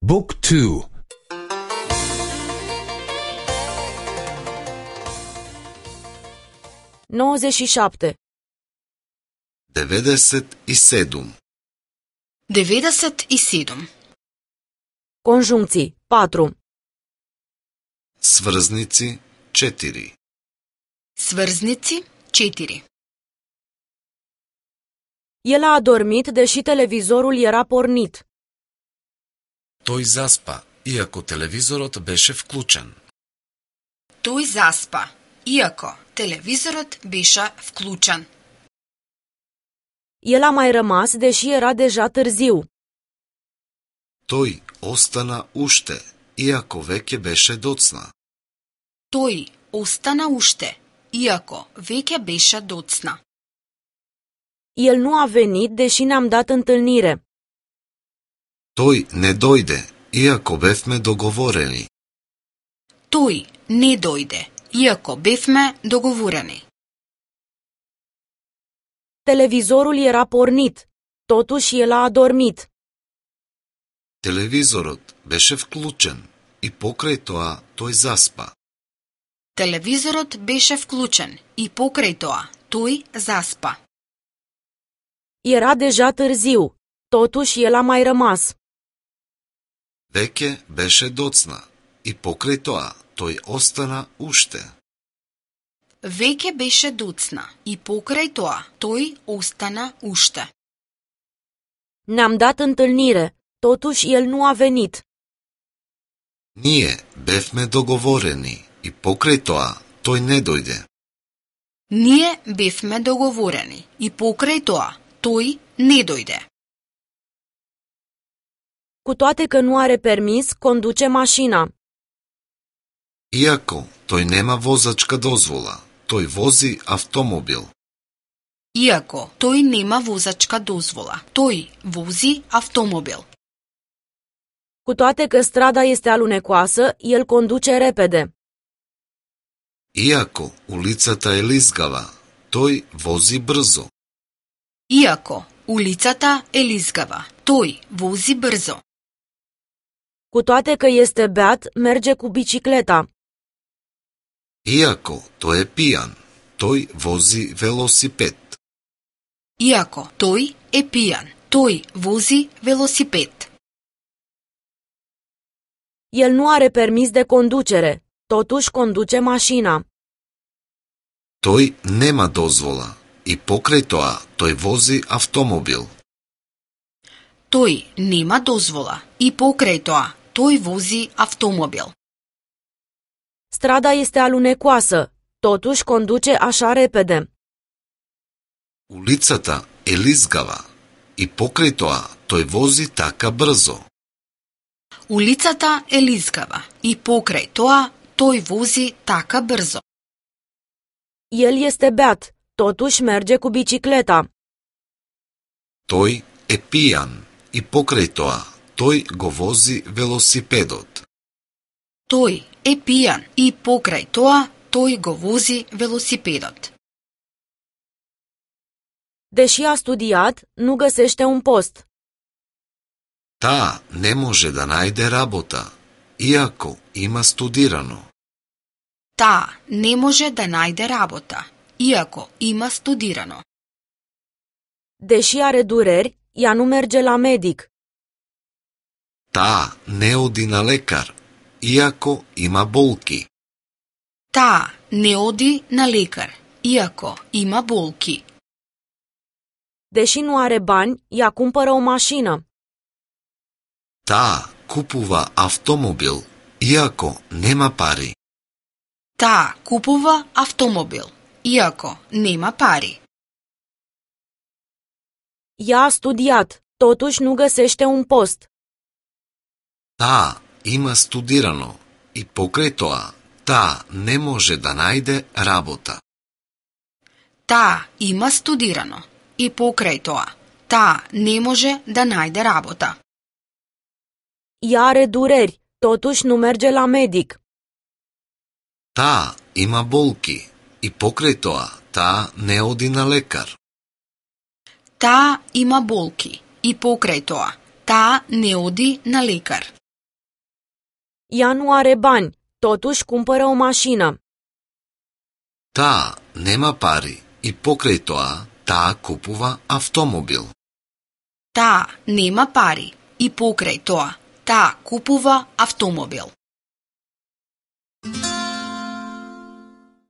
Book 2. 97. 97. 97. Conjuncții 4. Сврзници 4. Сврзници 4. El a adormit deși televizorul era pornit. Тој заспа, иако телевизорот беше вклучен. Тој заспа, иако телевизорот беше вклучен. El a mai rămas deși era deja târziu. Тој остана уште, иако веќе беше доцна. Тој остана уште, иако веќе беше доцна. El nu a venit deși ne-am dat întâlnire. Тој не дојде, иако бевме договорени. Тој не дојде, иако бевме договорени. Televizorul era pornit, totuși el a adormit. Телевизорот беше вклучен и покрај тоа тој заспа. Телевизорот беше вклучен и покрај тоа тој заспа. Era deja târziu, totuși el a mai rămas. Веќе беше доцна и покрај тоа тој остана уште. Веќе беше доцна и покрај тоа тој остана уште. Ne-am dat întâlnire, totuși el nu a venit. Ние бевме договорени и покрај тоа тој не дојде. Ние бевме договорени и покрај тоа тој не дојде. Cu toate că nu are permis, conduce mașina. Иако тој нема возачка дозвола, тој вози автомобил. Иако тој нема возачка дозвола, тој вози автомобил. Cu toate că strada este alunecoasă, el conduce repede. Иако улицата е лизгава, тој вози брзо. Иако улицата е лизгава, тој вози брзо. Cu toate că este beat, merge cu bicicleta. Иако тој е пијан, тој вози велосипед. Иако тој е пијан, тој вози велосипед. El nu are permis de conducere, totuși conduce mașina. Тој нема дозвола и покрај тоа тој вози автомобил. Тој нема дозвола и покрај тоа тој вози автомобил. Strada este alunecoasă, totuși conduce așa repede. Улицата е лизгава и покрај тоа тој вози така брзо. Улицата е лизгава и покрај тоа тој вози така брзо. El este beat, totuși merge cu bicicleta. Тој е пијан и покрај тоа тој го вози велосипедот. Тој е пијан и покрај тоа тој го вози велосипедот. Deși a studiat, nu găsește un post. Таа не може да најде работа, иако има студирано. Таа не може да најде работа, иако има студирано. Deși are dureri, ea nu merge la medic. Таа не оди на лекар, иако има болки. Таа не оди на лекар, иако има болки. Deși nu are bani, ea cumpără o mașină. Таа купува автомобил, иако нема пари. Таа купува автомобил, иако нема пари. Ea a studiat, totuși nu găsește un post. Таа има студирано и покрај тоа таа не може да најде работа. Таа има студирано и покрај тоа таа не може да најде работа. Ea are dureri, totuși nu merge la medic. Таа има болки и покрај тоа таа не оди на лекар. Таа има болки и покрај тоа таа не оди на лекар. Ea nu are bani, totuși cumpără o mașină. Таа нема пари и покрај тоа, таа купува автомобил. Таа нема пари и покрај тоа, таа купува автомобил.